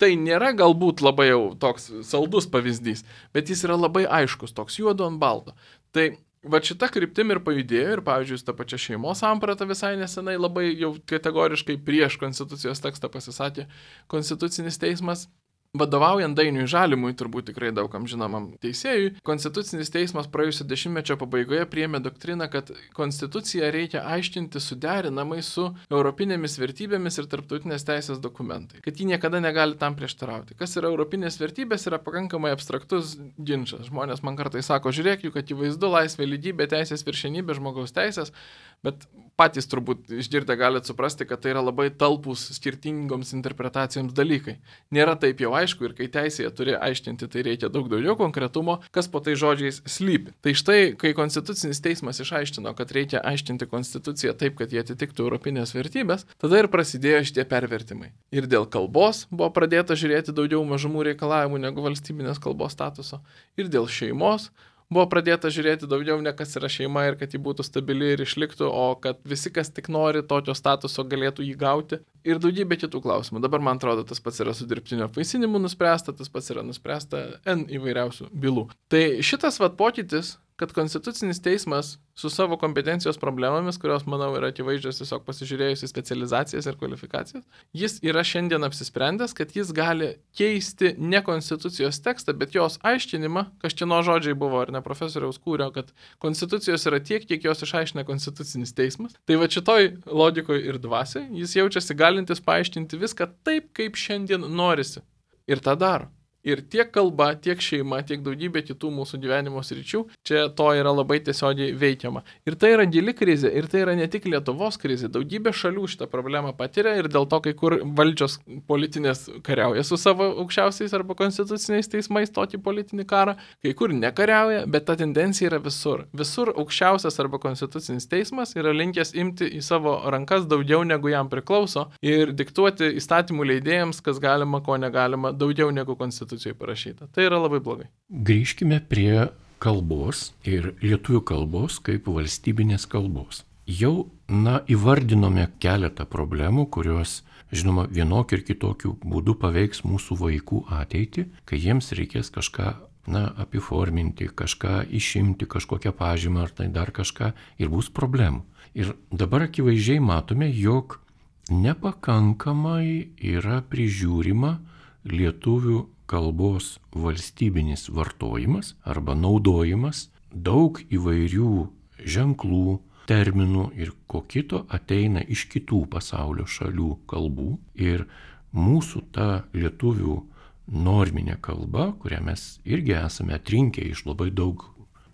Tai nėra galbūt labai jau toks saldus pavyzdys, bet jis yra labai aiškus, toks juodu ant balto. Tai va šita kryptim ir pajudėjo ir, pavyzdžiui, ta pačia šeimos samprata visai nesenai labai jau kategoriškai prieš konstitucijos tekstą pasisakė Konstitucinis teismas. Vadovaujant Dainiui Žalimui, turbūt tikrai daugam žinomam teisėjui, Konstitucinis teismas praėjusio dešimtmečio pabaigoje priėmė doktriną, kad konstituciją reikia aiškinti suderinamai su europinėmis vertybėmis ir tarptautinės teisės dokumentai, kad ji niekada negali tam prieštarauti. Kas yra europinės vertybės, yra pakankamai abstraktus ginčas. Žmonės man kartais sako, žiūrėk, juk akivaizdu laisvė, lygybė, teisės viršenybė, žmogaus teisės, bet patys turbūt išgirdę galite suprasti, kad tai yra labai talpūs skirtingoms interpretacijoms dalykai. Nėra taip jau aišku ir kai teisėje turi aiškinti, tai reikia daug daugiau konkretumo, kas po tai žodžiais slypi. Tai štai, kai Konstitucinis teismas išaiškino, kad reikia aiškinti konstituciją taip, kad jie atitiktų europinės vertybės, tada ir prasidėjo šitie pervertimai. Ir dėl kalbos buvo pradėta žiūrėti daugiau mažumų reikalavimų negu valstybinės kalbos statuso. Ir dėl šeimos buvo pradėta žiūrėti daugiau ne kas yra šeima ir kad ji būtų stabili ir išliktų, o kad visi, kas tik nori tokio statuso, galėtų jį gauti. Ir daugybė kitų klausimų. Dabar, man atrodo, tas pats yra su dirbtinio apvaisinimu nuspręsta, tas pats yra nuspręsta N įvairiausių bylų. Tai šitas pokytis, kad Konstitucinis teismas su savo kompetencijos problemomis, kurios, manau, yra akivaizdžios tiesiog pasižiūrėjus į specializacijas ir kvalifikacijas, jis yra šiandien apsisprendęs, kad jis gali keisti ne Konstitucijos tekstą, bet jos aiškinimą, kažkieno žodžiai buvo, ar ne profesoriaus Kūrio, kad Konstitucijos yra tiek, kiek jos išaiškina Konstitucinis teismas. Tai va šitoj logikoje ir dvasiai jis jaučiasi galintis paaiškinti viską taip, kaip šiandien norisi. Ir tą daro. Ir tiek kalba, tiek šeima, tiek daugybė kitų mūsų gyvenimo sričių, čia to yra labai tiesiogiai veikiama. Ir tai yra gili krizė, ir tai yra ne tik Lietuvos krizė, daugybė šalių šitą problemą patiria ir dėl to kai kur valdžios politinės kariauja su savo aukščiausiais arba konstituciniais teismais tokį politinį karą, kai kur nekariauja, bet ta tendencija yra visur. Visur aukščiausias arba konstitucinis teismas yra linkęs imti į savo rankas daugiau negu jam priklauso ir diktuoti įstatymų leidėjams, kas galima, ko negalima, daugiau negu konstitucija parašyta. Tai yra labai blogai. Grįžkime prie kalbos ir lietuvių kalbos kaip valstybinės kalbos. Jau, įvardinome keletą problemų, kurios, žinoma, vienokiu ir kitokiu būdu paveiks mūsų vaikų ateitį, kai jiems reikės kažką, apiforminti, kažką išimti, kažkokią pažymą ar tai dar kažką ir bus problemų. Ir dabar akivaizdžiai matome, jog nepakankamai yra prižiūrima lietuvių kalbos valstybinis vartojimas arba naudojimas, daug įvairių ženklų, terminų ir ko kito ateina iš kitų pasaulio šalių kalbų ir mūsų ta lietuvių norminė kalba, kurią mes irgi esame atrinkę iš labai daug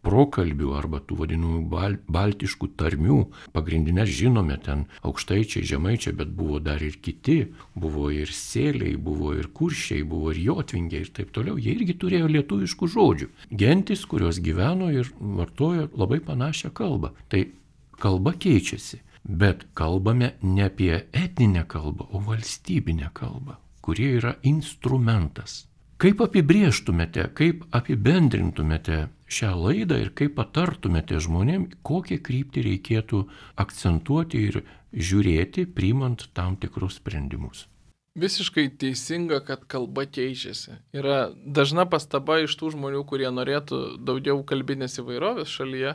prokalbių arba tų vadinamų baltiškų tarmių. Pagrindinės žinome ten aukštaičiai, žemaičiai, bet buvo dar ir kiti. Buvo ir sėliai, buvo ir kuršiai, buvo ir jotvingiai ir taip toliau. Jie irgi turėjo lietuviškų žodžių. Gentis, kurios gyveno ir vartojo labai panašią kalbą. Tai kalba keičiasi, bet kalbame ne apie etninę kalbą, o valstybinę kalbą, kuri yra instrumentas. Kaip apibrėžtumėte, kaip apibendrintumėte šią laidą ir kaip patartumėte žmonėm, kokią kryptį reikėtų akcentuoti ir žiūrėti, priimant tam tikrus sprendimus? Visiškai teisinga, kad kalba keičiasi. Yra dažna pastaba iš tų žmonių, kurie norėtų daugiau kalbinės įvairovės šalyje,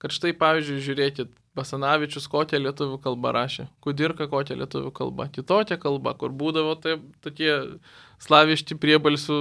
kad štai, pavyzdžiui, žiūrėkit, Basanavičius kokią lietuvių kalbą rašė, Kudirka kokią lietuvių kalbą, kitokią kalbą, kur būdavo tokie slaviški priebalsių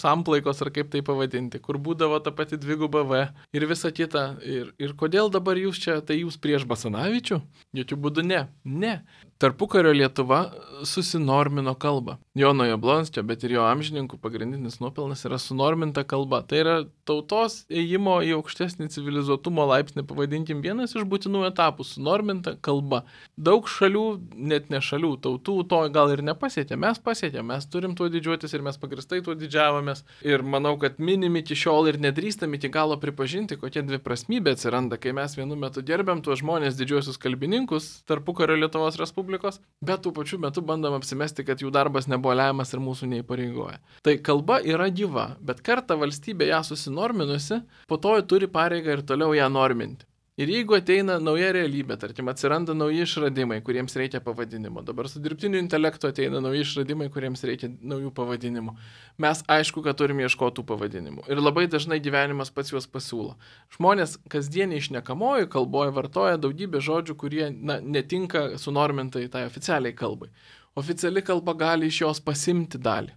samplaikos, ar kaip tai pavadinti, kur būdavo ta pati dviguba V ir visa kita. Ir kodėl dabar jūs čia, tai jūs prieš Basanavičių? Jokių būdų ne. Ne. Tarpukario Lietuva susinormino kalbą. Jono Jablonskio, bet ir jo amžininkų pagrindinis nuopelnas yra sunorminta kalba. Tai yra tautos ėjimo į aukštesnį civilizuotumo laipsnį, pavadinkim, vienas iš būtinų etapų - sunorminta kalba. Daug šalių, net ne šalių, tautų to gal ir nepasiekė. Mes pasiekėme, mes turim tuo didžiuotis ir mes pagristai tuo didžiavomės. Ir manau, kad minim iki šiol ir nedrįstam iki galo pripažinti, kokia dviprasmybė atsiranda, kai mes vienu metu gerbiam tuos žmonės didžiuosius kalbininkus tarpukario Lietuvos Respublikos, bet tų pačių metų bandom apsimesti, kad jų darbas nebuvo lemiamas ir mūsų neįpareigoja. Tai kalba yra gyva, bet kartą valstybė ją susinorminusi, po to turi pareigą ir toliau ją norminti. Ir jeigu ateina nauja realybė, tarkim, atsiranda nauji išradimai, kuriems reikia pavadinimo, dabar su dirbtiniu intelektu ateina nauji išradimai, kuriems reikia naujų pavadinimų, mes aišku, kad turim ieškoti tų pavadinimų. Ir labai dažnai gyvenimas pats juos pasiūlo. Žmonės kasdieniai šnekamoji kalboje vartoja daugybę žodžių, kurie netinka sunormintai tai oficialiai kalbai. Oficiali kalba gali iš jos pasimti dalį.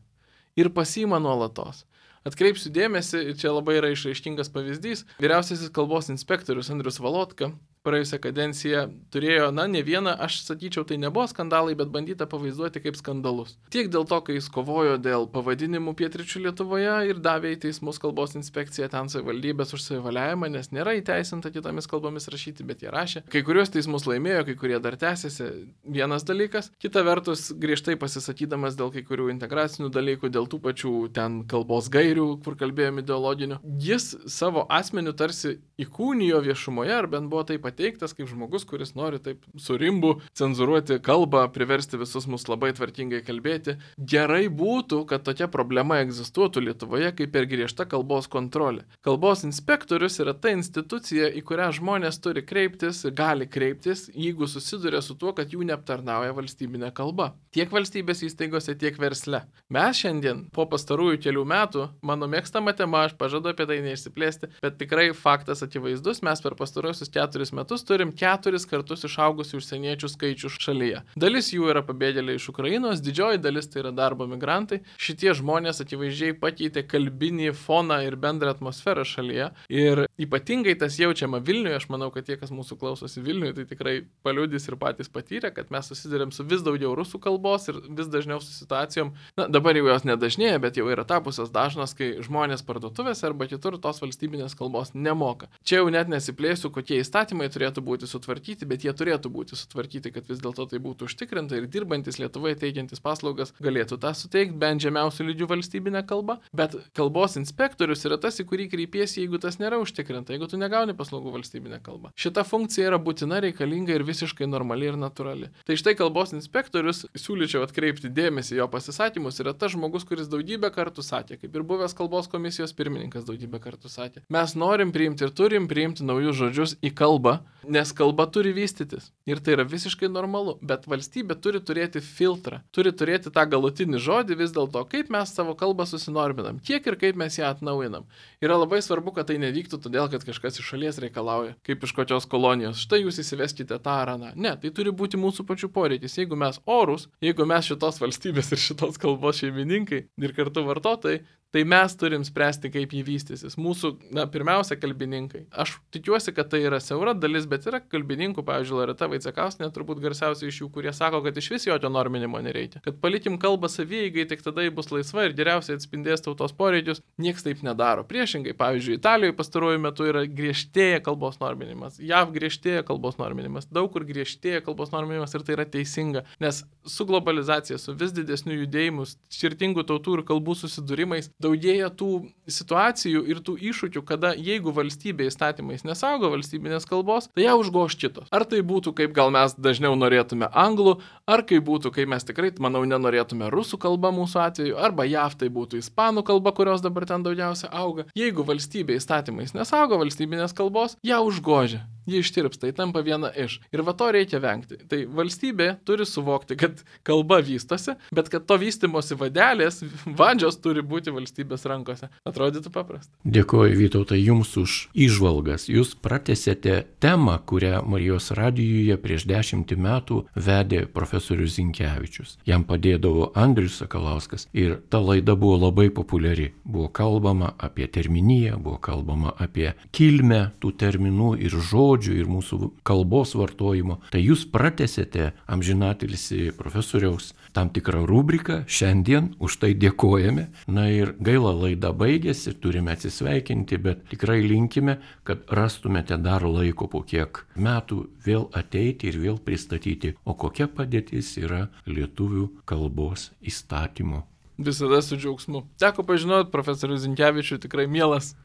Ir pasiima nuolatos. Atkreipsiu dėmesį, ir čia labai yra išraiškingas pavyzdys, vyriausiasis kalbos inspektorius Andrius Valotka praėjusią kadenciją turėjo, ne vieną, aš sakyčiau, tai nebuvo skandalai, bet bandyta pavaizduoti kaip skandalus. Tiek dėl to, kai jis kovojo dėl pavadinimų pietryčių Lietuvoje ir davė į teismus kalbos inspekciją ten savivaldybės už savivaliavimą, nes nėra įteisinta kitomis kalbomis rašyti, bet jie rašė. Kai kuriuos teismus laimėjo, kai kurie dar tęsiasi, vienas dalykas. Kita vertus, griežtai pasisakydamas dėl kai kurių integracinių dalykų, dėl tų pačių ten kalbos gairių, kur kalbėjome ideologinių, jis savo asmeniu tarsi įkūnijo viešumoje, ar bent buvo taip pateiktas kaip žmogus, kuris nori taip surimbu cenzuruoti kalbą, priversti visus mus labai tvarkingai kalbėti. Gerai būtų, kad tokia problema egzistuotų Lietuvoje kaip ir griežta kalbos kontrolė. Kalbos inspektorius yra ta institucija, į kurią žmonės turi kreiptis ir gali kreiptis, jeigu susiduria su tuo, kad jų neaptarnauja valstybinė kalba. Tiek valstybės įstaigose, tiek versle. Mes šiandien, po pastarųjų kelių metų, mano mėgstama tema, aš pažadu apie tai neišsiplėsti, bet tikrai faktas akivaizdus, mes per pastaruosius 4 metus turim 4 kartus išaugusių užsieniečių skaičių šalyje. Dalis jų yra pabėgėliai iš Ukrainos, didžioji dalis tai yra darbo migrantai. Šitie žmonės akivaizdžiai pakeitė kalbinį foną ir bendrą atmosferą šalyje. Ir ypatingai tas jaučiama Vilniuje, aš manau, kad tie, kas mūsų klausosi Vilniuje, tai tikrai paliudys ir patys patyrė, kad mes susidurėm su vis daugiau rusų kalbos ir vis dažniau su situacijom. Na, dabar jau jos nedažnėja, bet jau yra tapusios dažnos, kai žmonės parduotuvėse arba kitur tos valstybinės kalbos nemoka. Čia jau net nesiplėsiu, kokie įstatymai turėtų būti sutvarkyti, bet jie turėtų būti sutvarkyti, kad vis dėlto tai būtų užtikrinta ir dirbantis Lietuvoje teikiantis paslaugas galėtų tą suteikti bent žemiausių lygių valstybinę kalbą. Bet kalbos inspektorius yra tas, į kurį kreipiesi, jeigu tas nėra užtikrinta, jeigu tu negauni paslaugų valstybinę kalbą. Šita funkcija yra būtina, reikalinga ir visiškai normali ir natūrali. Tai štai kalbos inspektorius, siūlyčiau atkreipti dėmesį jo pasisakymus, yra tas žmogus, kuris daugybę kartų sakė, kaip ir buvęs kalbos komisijos pirmininkas daugybę kartų sakė. Mes norim priimti ir turim priimti naujus žodžius į kalbą, nes kalba turi vystytis. Ir tai yra visiškai normalu, bet valstybė turi turėti filtrą, turi turėti tą galutinį žodį vis dėlto, kaip mes savo kalbą susinorminam, kiek ir kaip mes ją atnaujinam. Yra labai svarbu, kad tai nevyktų todėl, kad kažkas iš šalies reikalauja, kaip iš kokios kolonijos. Štai jūs įsiveskite tą ar aną. Ne, tai turi būti mūsų pačių poreikis. Jeigu mes orus, jeigu mes šitos valstybės ir šitos kalbos šeimininkai ir kartu vartotojai, tai mes turim spręsti, kaip jį vystysis. Mūsų, pirmiausia, kalbininkai. Aš tikiuosi, kad tai yra siaura dalis, bet yra kalbininkų, pavyzdžiui, Loreta Vaicekauskienė, turbūt garsiausiai iš jų, kurie sako, kad iš vis jokio norminimo nereikia. Kad palikim kalbą savieigai, tik tada ji bus laisva ir geriausiai atspindės tautos poreikius. Niekas taip nedaro. Priešingai, pavyzdžiui, Italijoje pastaruoju metu yra griežtėja kalbos norminimas. JAV griežtėja kalbos norminimas. Daug kur griežtėja kalbos norminimas ir tai yra teisinga. Nes su globalizacija, su vis didesniu judėjimu, skirtingų tautų ir kalbų susidūrimais, daugėja tų situacijų ir tų iššūkių, kada jeigu valstybė įstatymais nesaugo valstybinės kalbos, tai ją užgoš kitos. Ar tai būtų, kaip gal mes dažniau norėtume anglų, ar kaip būtų, kai mes tikrai, manau, nenorėtume rusų kalba mūsų atveju, arba JAV tai būtų ispanų kalba, kurios dabar ten daugiausia auga. Jeigu valstybė įstatymais nesaugo valstybinės kalbos, ją užgožia. Ji ištirpsta, tai tampa viena iš. Ir va to reikia vengti. Tai valstybė turi suvokti, kad kalba vystosi, bet kad to vystimosi vadžios turi būti valstybės rankose. Atrodytų paprasta. Dėkuoju, Vytautai, jums už įžvalgas. Jūs pratęsėte temą, kurią Marijos radijuje prieš 10 metų vedė profesorius Zinkevičius. Jam padėdavo Andrius Sakalauskas ir ta laida buvo labai populiari. Buvo kalbama apie terminiją, buvo kalbama apie kilmę tų terminų ir žodžių ir mūsų kalbos vartojimo. Tai jūs pratęsėte amžinatilsį profesoriaus tam tikrą rubriką. Šiandien už tai dėkojame. Na ir gaila, laida baigėsi, turime atsisveikinti, bet tikrai linkime, kad rastumėte dar laiko po kiek metų vėl ateiti ir vėl pristatyti, o kokia padėtis yra lietuvių kalbos įstatymo. Visada su džiaugsmu. Teko pažinoti profesorių Zinkevičių, tikrai mielas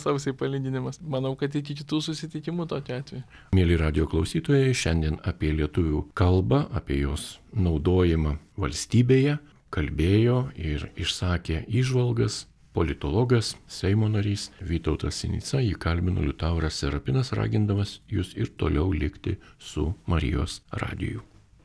ausiai palyginimas. Manau, kad iki kitų susitikimų tokiu atveju. Mėly radijo klausytojai, šiandien apie lietuvių kalbą, apie jos naudojimą valstybėje kalbėjo ir išsakė įžvalgas politologas, Seimo narys Vytautas Sinica. Jį kalbino Liutauras Serapinas, ragindamas jūs ir toliau likti su Marijos radiju.